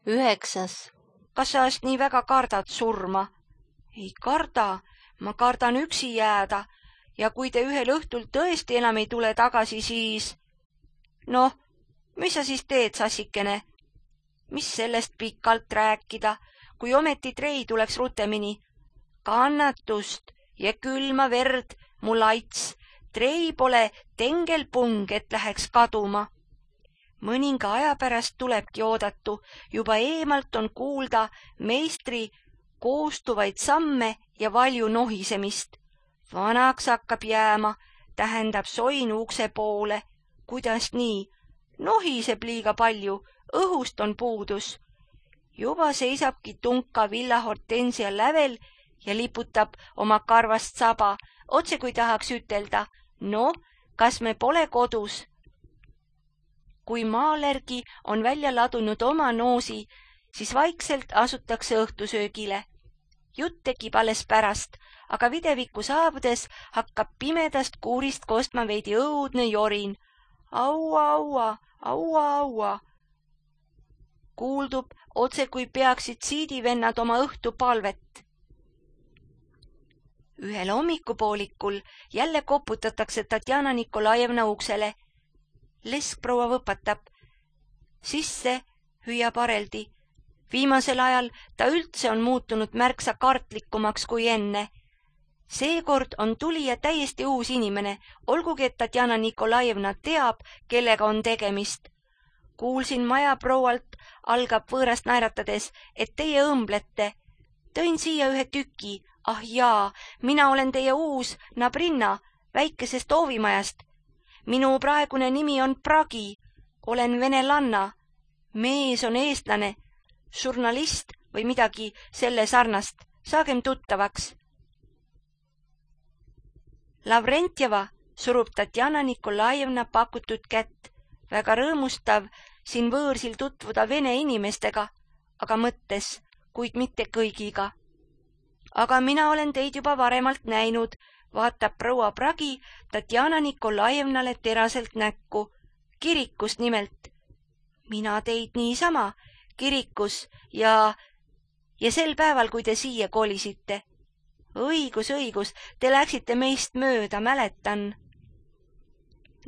9. Kas sa nii väga kardad surma? Ei karda, ma kardan üksi jääda ja kui te ühel õhtul tõesti enam ei tule tagasi, siis... Noh, mis sa siis teed, sassikene? Mis sellest pikalt rääkida, kui ometi trei tuleks rutemini? Kannatust ja külma verd, mu laits, trei pole tengelpung, et läheks kaduma. Mõninga aja pärast tulebki oodatu, juba eemalt on kuulda meistri koostuvaid samme ja valju nohisemist. Vanaks hakkab jääma, tähendab soin ukse poole. Kuidas nii? Nohiseb liiga palju, õhust on puudus. Juba seisabki tunka villahortensia lävel ja liputab oma karvast saba, otse kui tahaks ütelda, no, kas me pole kodus? Kui maalergi on välja ladunud oma noosi, siis vaikselt asutakse õhtusöögile. Jutt tekib alles pärast, aga videviku saabudes hakkab pimedast kuurist kostma veidi õudne jorin. Aua, aua, aua, aua. Kuuldub otse kui peaksid siidivennad oma õhtupalvet. Ühel hommikupoolikul jälle koputatakse Tatjana Nikolajevna uksele. Leskproua võpatab. Sisse hüüab Areldi. Viimasel ajal ta üldse on muutunud märksa kartlikumaks kui enne. Seekord on tulija täiesti uus inimene, olgugi et Tatjana Nikolajevna teab, kellega on tegemist. Kuulsin majaproualt, algab võõrast naeratades, et teie õmblete. Tõin siia ühe tüki. Ah jaa, mina olen teie uus Nabrinna väikesest oovimajast. Minu praegune nimi on Pragi. Olen venelanna. Mees on eestlane. Žurnalist või midagi selle sarnast. Saagem tuttavaks. Lavrentjeva surub Tatjana Nikolajevna pakutud kätt. Väga rõõmustav siin võõrsil tutvuda vene inimestega, aga mõttes, kuid mitte kõigiga. Aga mina olen teid juba varemalt näinud, vaatab proua Pragi Tatjana Nikolajevnale teraselt näkku. Kirikus nimelt. Mina teid niisama, kirikus ja sel päeval, kui te siia kolisite. Õigus, te läksite meist mööda, mäletan.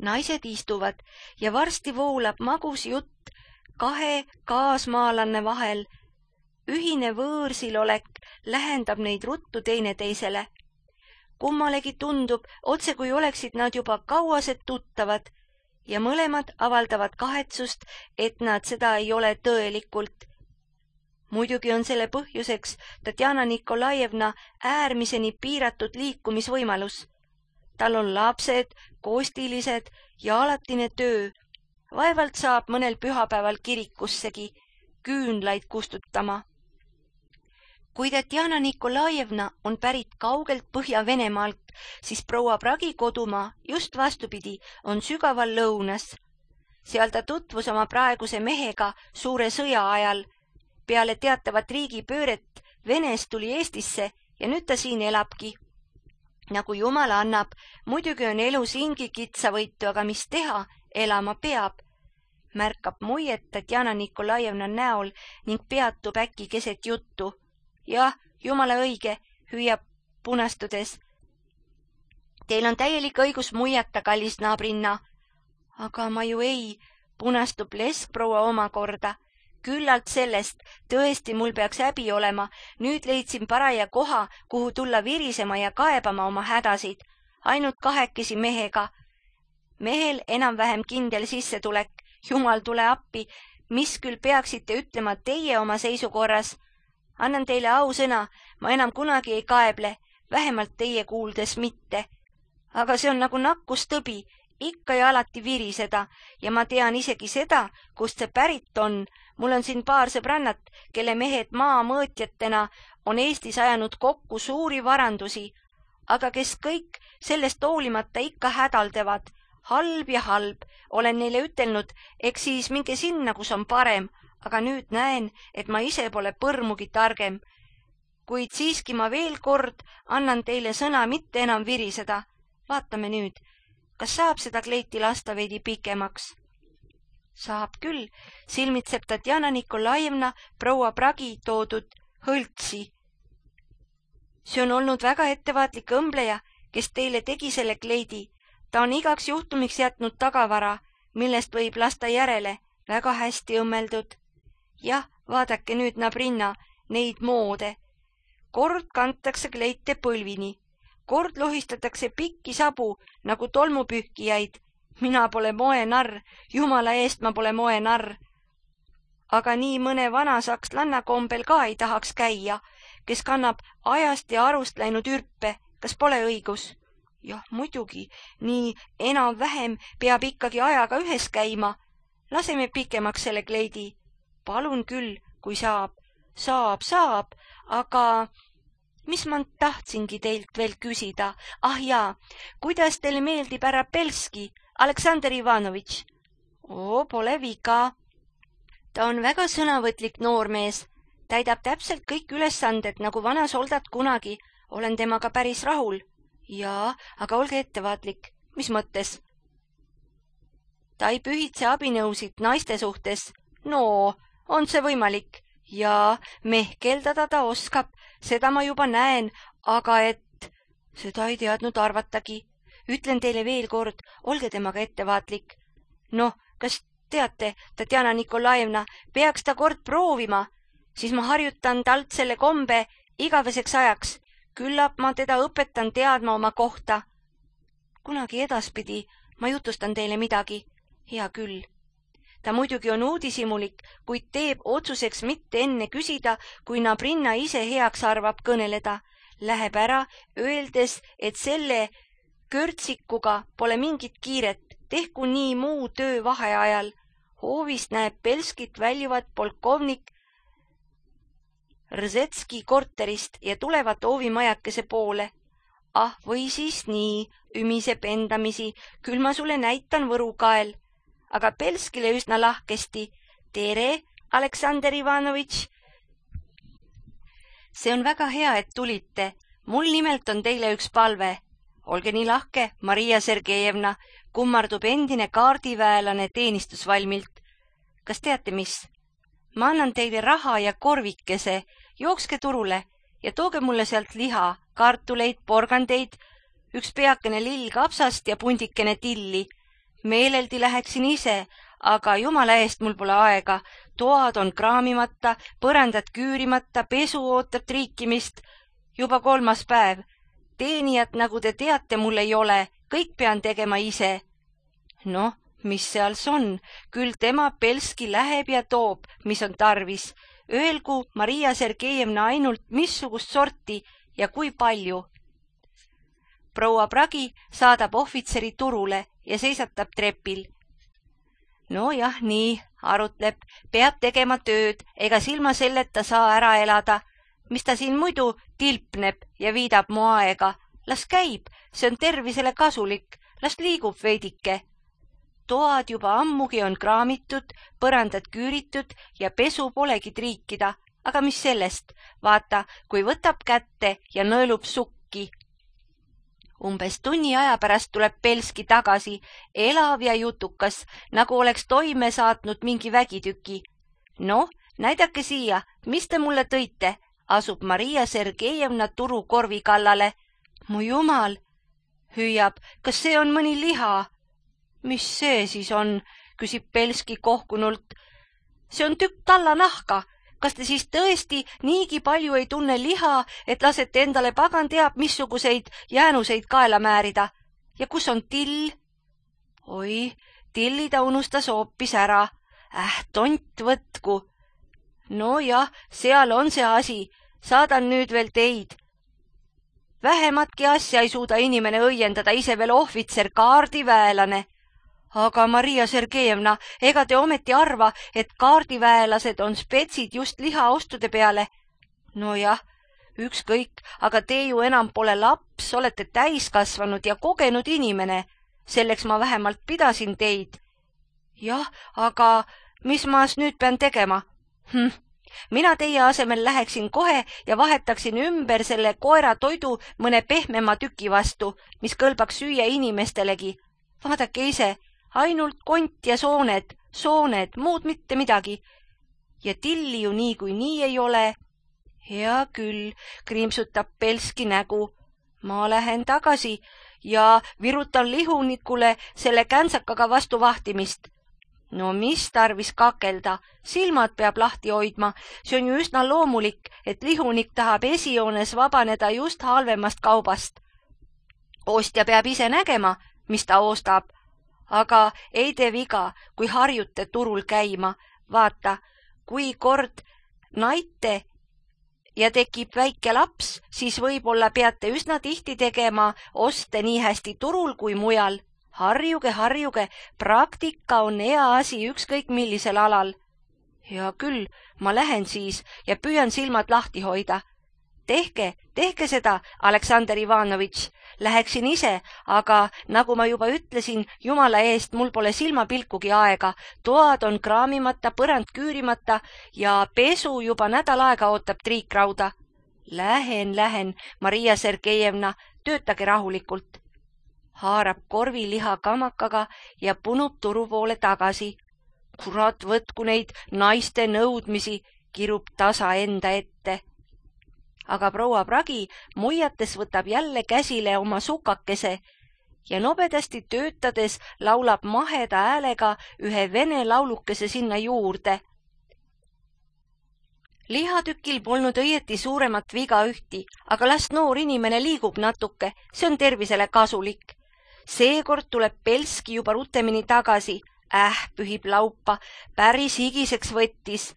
Naised istuvad ja varsti voolab magus jutt kahe kaasmaalanne vahel. Ühine võõrsilolek lähendab neid ruttu teineteisele. Kummalegi tundub, otse kui oleksid nad juba kauased tuttavad ja mõlemad avaldavad kahetsust, et nad seda ei ole tõelikult. Muidugi on selle põhjuseks Tatjana Nikolajevna äärmiseni piiratud liikumisvõimalus. Tal on lapsed, kostilised ja alatine töö. Vaevalt saab mõnel pühapäeval kirikussegi küünlaid kustutama. Kui Tatjana Nikolajevna on pärit kaugelt Põhja-Venemaalt, siis proua Pragi kodumaa, just vastupidi, on sügaval lõunas. Seal ta tutvus oma praeguse mehega suure sõja ajal. Peale teatavat riigipööret Venest tuli Eestisse ja nüüd ta siin elabki. Nagu Jumal annab, muidugi on elu siingi kitsavõitu, aga mis teha, elama peab. Märkab muiet Tatjana Nikolajevna näol ning peatub äkki keset juttu. Jah, jumala õige, hüüab punastudes. Teil on täielik õigus muiata, kallis Nabrinna. Aga ma ju ei, punastub leskproua omakorda. Küllalt sellest, tõesti mul peaks häbi olema. Nüüd leidsin paraja koha, kuhu tulla virisema ja kaebama oma hädasid. Ainult kahekesi mehega. Mehel enam-vähem kindel sissetulek. Jumal, tule appi. Mis küll peaksite ütlema teie oma seisukorras? Annan teile ausõna, ma enam kunagi ei kaeble, vähemalt teie kuuldes mitte. Aga see on nagu nakkustõbi, ikka ja alati viriseda ja ma tean isegi seda, kust see pärit on. Mul on siin paar sõbrannat, kelle mehed maamõõtjatena on Eestis ajanud kokku suuri varandusi, aga kes kõik sellest hoolimata ikka hädaldavad. Halb ja halb, olen neile ütelnud, eks siis minge sinna, kus on parem, aga nüüd näen, et ma ise pole põrmugi targem. Kuid siiski ma veel kord annan teile sõna mitte enam viriseda. Vaatame nüüd, kas saab seda kleiti lasta veidi pikemaks. Saab küll, silmitseb Tatjana Nikolajevna proua Pragi toodud hõltsi. See on olnud väga ettevaatlik õmbleja, kes teile tegi selle kleidi. Ta on igaks juhtumiks jätnud tagavara, millest võib lasta järele, väga hästi õmmeldud. Jah, vaadake nüüd, Nabrinna, neid moode. Kord kantakse kleite põlvini, kord lohistatakse pikki sabu nagu tolmupühkijaid. Mina pole moenarr, jumala eest ma pole moenarr. Aga nii mõne vana sakslanna kombel ka ei tahaks käia, kes kannab ajast ja arust läinud ürpe, kas pole õigus? Jah, muidugi, nii enam-vähem peab ikkagi ajaga ühes käima. Laseme pikemaks selle kleidi. Palun küll, kui saab. Saab, aga mis ma tahtsingi teilt veel küsida? Ah jaa, kuidas teile meeldib härra Belski, Aleksandr Ivanovitš? Pole viga. Ta on väga sõnavõtlik noormees. Täidab täpselt kõik ülesanded, nagu vana soldat kunagi. Olen temaga päris rahul. Jaa, aga olge ettevaatlik. Mis mõttes? Ta ei pühitse abinõusid naiste suhtes. No, on see võimalik? Jaa, mehkeldada ta oskab. Seda ma juba näen, aga seda ei teadnud arvatagi. Ütlen teile veel kord, olge temaga ettevaatlik. Noh, kas teate, Tatjana Nikolajevna, peaks ta kord proovima, siis ma harjutan talt selle kombe igaveseks ajaks. Küllap ma teda õpetan teadma oma kohta. Kunagi edaspidi ma jutustan teile midagi. Hea küll. Ta muidugi on uudishimulik, kuid teeb otsuseks mitte enne küsida, kui Nabrinna ise heaks arvab kõneleda. Läheb ära, öeldes, et selle körtsikuga pole mingit kiiret, tehku nii muu töö vaheajal. Hoovist näeb Belskit väljuvat polkovnik Rzetski korterist ja tulevat hoovimajakese poole. Ah, või siis nii, ümiseb endamisi, küll ma sulle näitan võrukael. Aga Belskile üsna lahkesti. Tere, Aleksandr Ivanovitš. See on väga hea, et tulite. Mul nimelt on teile üks palve. Olge nii lahke, Maria Sergejevna, kummardub endine kaardiväelane teenistusvalmilt. Kas teate mis? Ma annan teile raha ja korvikese. Jookske turule ja tooge mulle sealt liha, kartuleid, porgandeid, üks peakene lill kapsast ja pundikene tilli. Meeleldi läheksin ise, aga jumala eest mul pole aega. Toad on kraamimata, põrandad küürimata, pesu ootab triikimist. Juba 3. päev. Teenijat, nagu te teate, mul ei ole. Kõik pean tegema ise. Noh, mis seals on? Küll tema Belski läheb ja toob, mis on tarvis. Öelgu Maria Sergejevna ainult missugust sorti ja kui palju. Proua Pragi saadab ohvitseri turule ja seisatab trepil. No jah, nii, arutleb, peab tegema tööd, ega silma selleta saa ära elada. Mis ta siin muidu tilpneb ja viidab mu aega? Las käib, see on tervisele kasulik, las liigub veidike. Toad juba ammugi on kraamitud, põrandad küüritud ja pesu polegi triikida, aga mis sellest, vaata, kui võtab kätte ja nõelub sukki. Umbes tunni aja pärast tuleb Belski tagasi, elav ja jutukas, nagu oleks toime saatnud mingi vägitüki. Noh, näidake siia, mis te mulle tõite, asub Maria Sergejevna turukorvi kallale. Mu jumal, hüüab, kas see on mõni liha? Mis see siis on, küsib Belski kohkunult. See on tükk tallanahka. Kas te siis tõesti niigi palju ei tunne liha, et lasete endale pagan teab missuguseid jäänuseid kaela määrida? Ja kus on till? Oi, tilli ta unustas hoopis ära. Tont võtku. No jah, seal on see asi. Saadan nüüd veel teid. Vähematki asja ei suuda inimene õiendada, ise veel ohvitser, kaardiväelane. Aga Maria Sergejevna, ega te ometi arva, et kaardiväelased on spetsid just lihaostude peale? No jah, ükskõik, aga te ju enam pole laps, olete täiskasvanud ja kogenud inimene. Selleks ma vähemalt pidasin teid. Jah, aga mis ma nüüd pean tegema? Mina teie asemel läheksin kohe ja vahetaksin ümber selle koera toidu mõne pehmema tüki vastu, mis kõlbaks süüa inimestelegi. Vaadake ise. Ainult kont ja sooned, sooned, muud mitte midagi. Ja tilli ju niikuinii ei ole. Hea küll, kriimsutab Belski nägu. Ma lähen tagasi ja virutan lihunikule selle käntsakaga vastu vahtimist. No mis tarvis kakelda, silmad peab lahti hoidma, see on ju üsna loomulik, et lihunik tahab esijoones vabaneda just halvemast kaubast. Ostja peab ise nägema, mis ta ostab, aga ei tee viga, kui harjute turul käima. Vaata, kui kord naite ja tekib väike laps, siis võib-olla peate üsna tihti tegema oste nii hästi turul kui mujal. Harjuge, praktika on hea asi ükskõik millisel alal. Hea küll, ma lähen siis ja püüan silmad lahti hoida. Tehke seda, Aleksander Ivanovitš. Läheksin ise, aga nagu ma juba ütlesin, jumala eest, mul pole silmapilkugi aega. Toad on kraamimata, põrand küürimata ja pesu juba nädal aega ootab triikrauda. Lähen, Maria Sergejevna, töötage rahulikult. Haarab korviliha kamakaga ja punub turu poole tagasi. Kurat, võtku neid naiste nõudmisi, kirub tasa enda ette. Aga proua Pragi muiates võtab jälle käsile oma sukakese ja nobedasti töötades laulab maheda häälega ühe vene laulukese sinna juurde. Lihatükil polnud õieti suuremat viga ühti, aga las noor inimene liigub natuke, see on tervisele kasulik. Seekord tuleb Belski juba rutemini tagasi. Pühib laupa, päris higiseks võttis.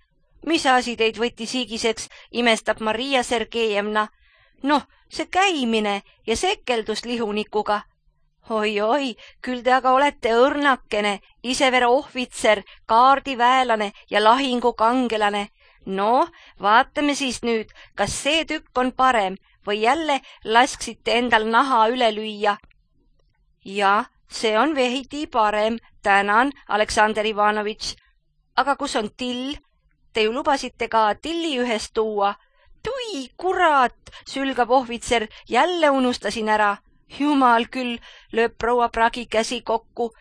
Mis asi teid võttis higiseks, imestab Maria Sergejevna. Noh, see käimine ja sekeldus lihunikuga. Oi, küll te aga olete õrnakene, isevere ohvitser, kaardiväelane ja lahingukangelane. No, vaatame siis nüüd, kas see tükk on parem või jälle lasksite endal naha üle lüüa. Ja, see on veidi parem, tänan, Aleksander Ivanovitš. Aga kus on till? Te ju lubasite ka tilli ühest tuua. Tui, kurat, sülgab ohvitser, jälle unustasin ära. Jumal küll, lööb proua Pragi käsi kokku.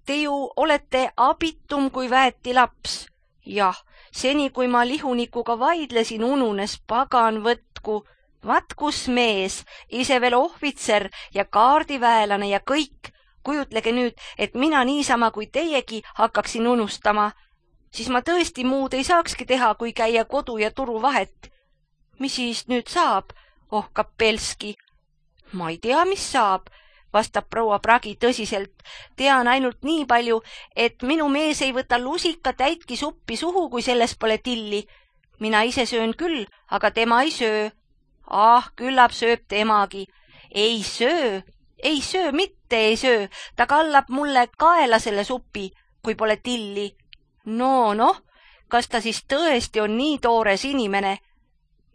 Te ju olete abitum kui väeti laps. Jah, seni kui ma lihunikuga vaidlesin, ununes, pagan võtku. Vaat kus mees, ise veel ohvitser ja kaardiväelane ja kõik. Kujutlege nüüd, et mina niisama kui teiegi hakkaksin unustama. Siis ma tõesti muud ei saakski teha, kui käia kodu ja turu vahet. Mis siis nüüd saab? Ohkab Belski. Ma ei tea, mis saab, vastab proua Pragi tõsiselt. Tean ainult nii palju, et minu mees ei võta lusika täitki suppi suhu, kui selles pole tilli. Mina ise söön küll, aga tema ei söö. Küllap sööb temagi. Ei söö, mitte ei söö. Ta kallab mulle kaela selle supi, kui pole tilli. Noh, kas ta siis tõesti on nii toores inimene?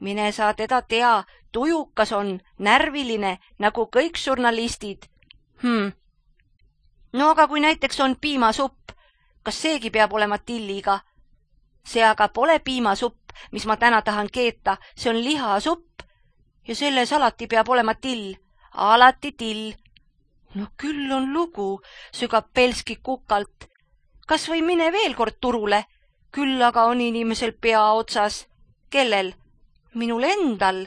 Mine sa teda tea, tujukas on, närviline, nagu kõik žurnalistid. No aga kui näiteks on piimasupp, kas seegi peab olema tilliga? See aga pole piimasupp, mis ma täna tahan keeta, see on lihasupp. Ja selles alati peab olema till. Alati till. No küll on lugu, sügab Belski kukalt. Kas või mine veel kord turule? Küll aga on inimesel pea otsas. Kellel? Minul endal.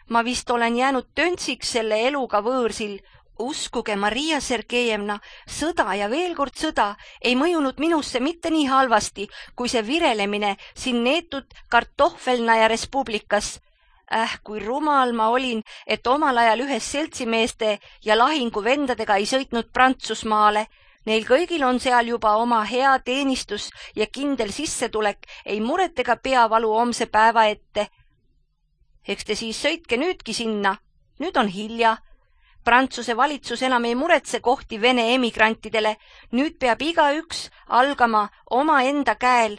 Ma vist olen jäänud töntsiks selle eluga võõrsil. Uskuge, Maria Sergejevna, sõda ja veel kord sõda ei mõjunud minusse mitte nii halvasti, kui see virelemine siin neetud kartohvelnaja respublikas. Kui rumal ma olin, et omal ajal ühes seltsimeeste ja lahinguvendadega ei sõitnud Prantsusmaale. Neil kõigil on seal juba oma hea teenistus ja kindel sissetulek, ei muret ega peavalu homse päeva ette. Eks te siis sõitke nüüdki sinna. Nüüd on hilja. Prantsuse valitsus enam ei muretse kohti Vene emigrantidele. Nüüd peab igaüks algama oma enda käel.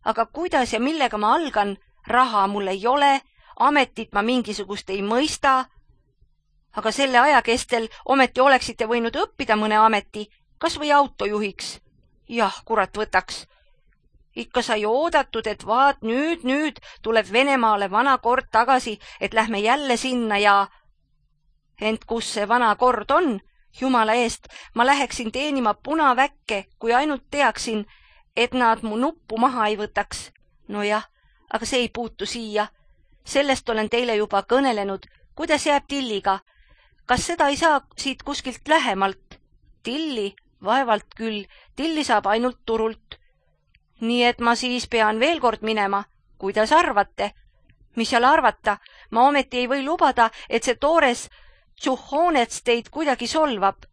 Aga kuidas ja millega ma algan? Raha mul ei ole, ametit ma mingisugust ei mõista. Aga selle aja kestel ometi oleksite võinud õppida mõne ameti, kas või autojuhiks. Jah, kurat võtaks. Ikka sai oodatud, et vaat nüüd tuleb Venemaale vana kord tagasi, et lähme jälle sinna ja... Ent kus see vana kord on? Jumala eest, ma läheksin teenima punaväkke, kui ainult teaksin, et nad mu nuppu maha ei võtaks. Nojah, aga see ei puutu siia. Sellest olen teile juba kõnelenud. Kuidas jääb Tilliga? Kas seda ei saa siit kuskilt lähemalt? Tilli? Vaevalt küll. Tilli saab ainult turult. Nii et ma siis pean veel kord minema. Kuidas arvate? Mis seal arvata? Ma ometi ei või lubada, et see toores Tšuhhoonets teid kuidagi solvab.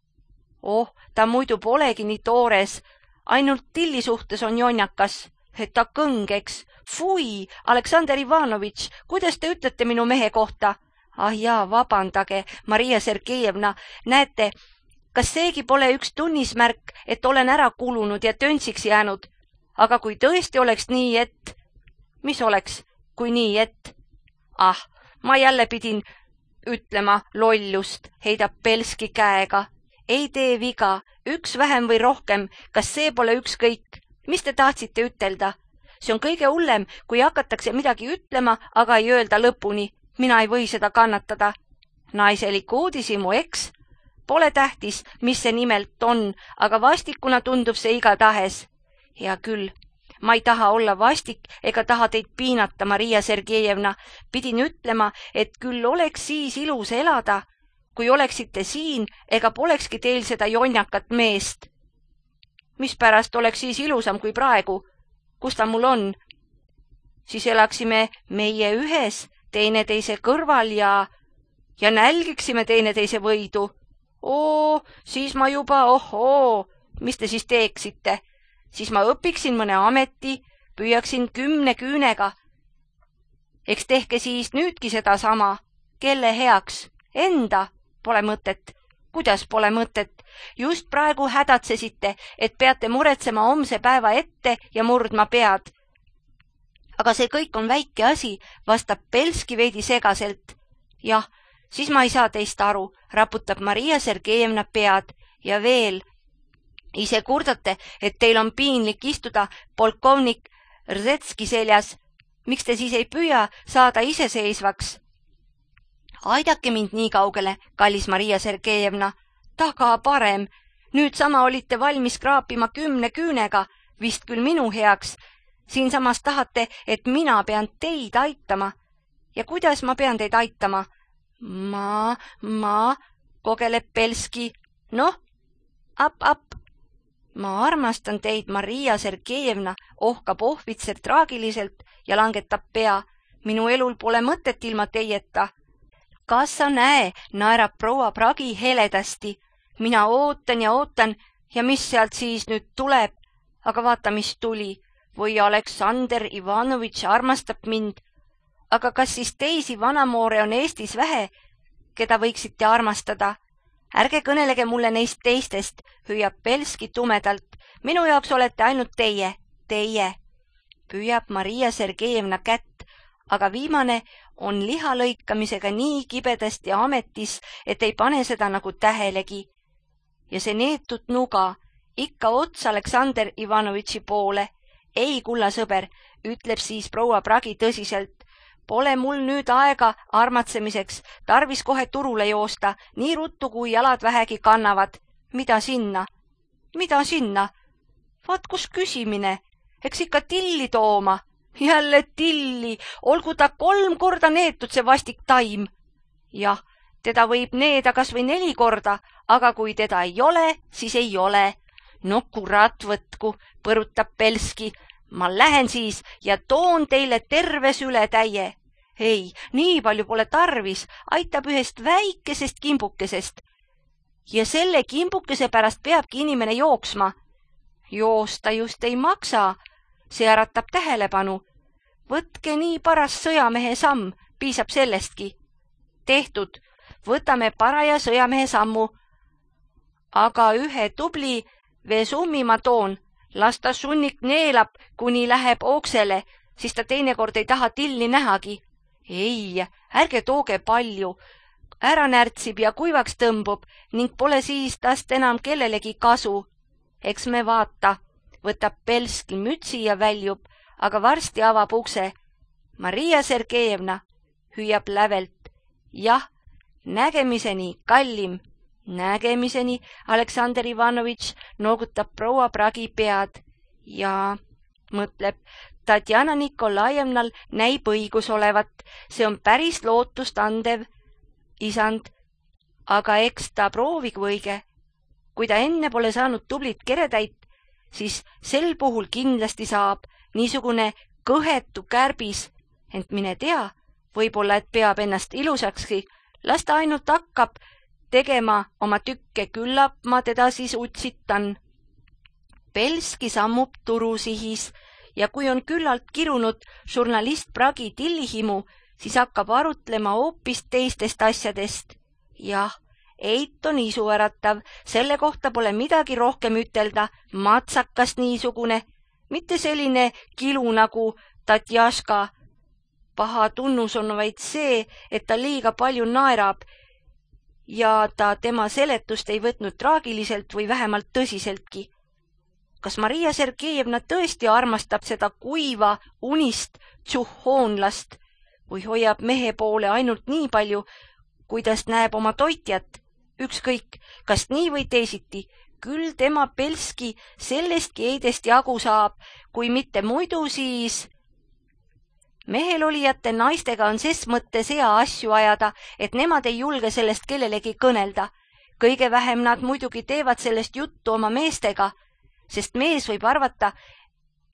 Oh, ta muidu polegi nii toores. Ainult Tilli suhtes on jonnakas. Et ta kõngeks. Fui, Aleksandr Ivanovitš, kuidas te ütlete minu mehe kohta? Ah jaa, vabandage, Maria Sergejevna. Näete, kas seegi pole üks tunnismärk, et olen ära kulunud ja töntsiks jäänud? Aga kui tõesti oleks nii, et... Mis oleks, kui nii, et... Ah, ma jälle pidin ütlema lollust, heidab Belski käega. Ei tee viga, üks vähem või rohkem, kas see pole ükskõik? Mis te tahtsite ütelda? See on kõige hullem, kui hakatakse midagi ütlema, aga ei öelda lõpuni. Mina ei või seda kannatada. Naiselik uudisimu, eks? Pole tähtis, mis see nimelt on, aga vastikuna tundub see igatahes. Hea küll, ma ei taha olla vastik ega taha teid piinata, Maria Sergejevna. Pidin ütlema, et küll oleks siis ilus elada, kui oleksite siin ega polekski teil seda jonnakat meest. Mispärast oleks siis ilusam kui praegu? Kus ta mul on? Siis elaksime meie ühes, teineteise kõrval ja nälgiksime teineteise võidu. Oo, siis ma juba, mis te siis teeksite? Siis ma õpiksin mõne ameti, püüaksin 10 küünega. Eks tehke siis nüüdki seda sama. Kelle heaks? Enda? Pole mõtet. Kuidas pole mõtet? Just praegu hädatsesite, et peate muretsema homse päeva ette ja murdma pead. Aga see kõik on väike asi, vastab Belski veidi segaselt. Jah, siis ma ei saa teist aru, raputab Maria Sergejevna pead. Ja veel, ise kurdate, et teil on piinlik istuda polkovnik Rzetski seljas. Miks te siis ei püüa saada iseseisvaks? Aidake mind nii kaugele, kallis Maria Sergejevna. Taga parem. Nüüd sama olite valmis kraapima 10 küünega, vist küll minu heaks. Siinsamas tahate, et mina pean teid aitama. Ja kuidas ma pean teid aitama? Ma, kogeleb Belski. Noh, ap. Ma armastan teid, Maria Sergejevna, ohkab ohvitser traagiliselt ja langetab pea. Minu elul pole mõtet ilma teieta. Kas sa näe, naerab proua Pragi heledasti. Mina ootan ja mis sealt siis nüüd tuleb? Aga vaata, mis tuli. Või Aleksandr Ivanovitš armastab mind. Aga kas siis teisi vanamoore on Eestis vähe, keda võiksite armastada? Ärge kõnelege mulle neist teistest, hüüab Belski tumedalt. Minu jaoks olete ainult teie. Püüab Maria Sergejevna kätt, aga viimane on lihalõikamisega nii kibedasti ametis, et ei pane seda nagu tähelegi. Ja see neetud nuga, ikka ots Aleksandr Ivanovitši poole. Ei, kulla sõber, ütleb siis proua Pragi tõsiselt. Pole mul nüüd aega armatsemiseks, tarvis kohe turule joosta, nii ruttu kui jalad vähegi kannavad. Mida sinna? Vaat kus küsimine, eks ikka Tilli tooma. Jälle Tilli, olgu ta 3 korda neetud see vastik taim. Jah, teda võib needa kas või 4 korda, aga kui teda ei ole, siis ei ole. No kurat võtku, põrutab Belski. Ma lähen siis ja toon teile terve sületäie. Ei, nii palju pole tarvis, aitab ühest väikesest kimbukesest. Ja selle kimbukese pärast peabki inimene jooksma. Joosta just ei maksa, see äratab tähelepanu. Võtke nii paras sõjamehe samm, piisab sellestki. Tehtud, võtame paraja sõjamehe sammu. Aga ühe tubli Vesummi ma toon. Las ta sunnik neelab, kuni läheb oksele, siis ta teinekord ei taha Tilli nähagi. Ei, ärge tooge palju. Ära närtsib ja kuivaks tõmbub ning pole siis tast enam kellelegi kasu. Eks me vaata, võtab Belski mütsi ja väljub, aga varsti avab ukse. Maria Sergejevna hüüab lävelt. Jah, nägemiseni, kallim. Nägemiseni, Aleksandr Ivanovitš noogutab proua Pragi pead ja mõtleb, Tatjana Nikolajevnal näib õigus olevat, see on päris lootustandev isand, aga eks ta proovigu õige. Kui ta enne pole saanud tublit keretäit, siis sel puhul kindlasti saab niisugune kõhetu kärbis, ent mine tea, võib-olla, et peab ennast ilusakski, las ta ainult hakkab tegema oma tükke, küllap ma teda siis utsitan. Belski sammub turusihis ja kui on küllalt kirunud žurnalist Pragi tillihimu, siis hakkab arutlema hoopis teistest asjadest. Jah, eit on isuäratav, selle kohta pole midagi rohkem ütelda, matsakas niisugune, mitte selline kilu nagu Tatjaška. Paha tunnus on vaid see, et ta liiga palju naerab ja ta tema seletust ei võtnud traagiliselt või vähemalt tõsiseltki. Kas Maria Sergejevna tõesti armastab seda kuiva unist tšuhhoonlast või hoiab mehe poole ainult nii palju, kuidas näeb oma toitjat? Ükskõik, kas nii või teisiti, küll tema Belski sellestki eidest jagu saab, kui mitte muidu, siis mehel olijate naistega on ses mõttes hea asju ajada, et nemad ei julge sellest kellelegi kõnelda. Kõige vähem nad muidugi teevad sellest juttu oma meestega, sest mees võib arvata,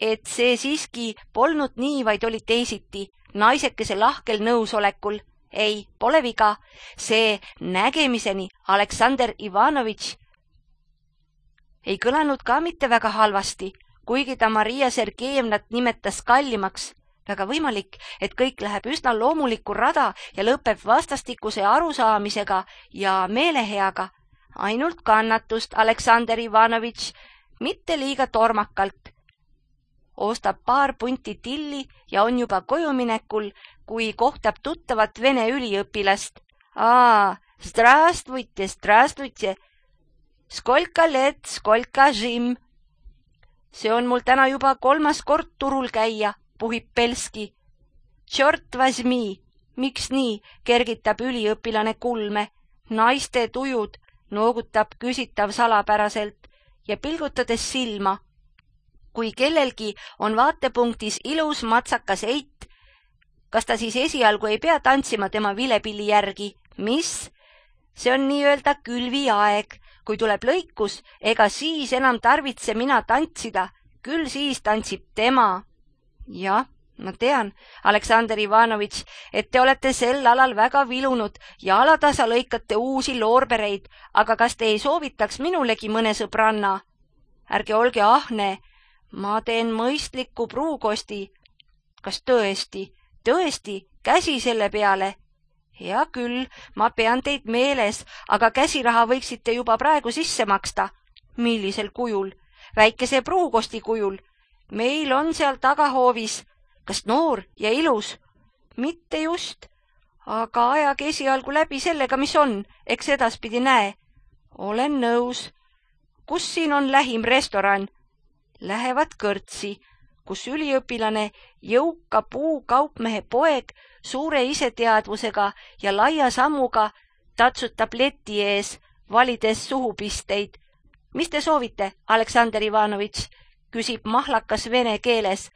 et see siiski polnud nii, vaid oli teisiti, naisekese lahkel nõusolekul. Ei, pole viga, see nägemiseni Aleksandr Ivanovitš ei kõlanud ka mitte väga halvasti, kuigi ta Maria Sergejevnat nimetas kallimaks. Väga võimalik, et kõik läheb üsna loomulikku rada ja lõpeb vastastikuse arusaamisega ja meeleheaga. Ainult kannatust, Aleksandr Ivanovitš, mitte liiga tormakalt. Ostab paar punti tilli ja on juba kojuminekul, kui kohtab tuttavat vene üliõpilast. Здравствуйте, здравствуйте. Skolka let, skolka žim. See on mul täna juba 3. kord turul käia, puhib Belski. Tšort vasmi, miks nii, kergitab üliõpilane kulme. Naiste tujud, noogutab küsitav salapäraselt ja pilgutades silma. Kui kellelgi on vaatepunktis ilus matsakas eit, kas ta siis esialgu ei pea tantsima tema vilepilli järgi? Mis? See on nii-öelda külviaeg. Kui tuleb lõikus, ega siis enam tarvitse mina tantsida, küll siis tantsib tema. Jah, ma tean, Aleksandr Ivanovitš, et te olete sel alal väga vilunud ja alatasa lõikate uusi loorbereid, aga kas te ei soovitaks minulegi mõne sõbranna? Ärge olge ahne, ma teen mõistliku pruukosti. Kas tõesti, käsi selle peale? Hea küll, ma pean teid meeles, aga käsiraha võiksite juba praegu sisse maksta. Millisel kujul? Väikese pruukosti kujul. Meil on seal tagahoovis. Kas noor ja ilus? Mitte just. Aga ajage esialgu läbi sellega, mis on, eks edaspidi näe. Olen nõus. Kus siin on lähim restoran? Lähevad kõrtsi, kus üliõpilane, jõuka puukaupmehe poeg, suure iseteadvusega ja laia sammuga tatsutab leti ees, valides suhupisteid. Mis te soovite, Aleksandr Ivanovitš? Küsib mahlakas vene keeles.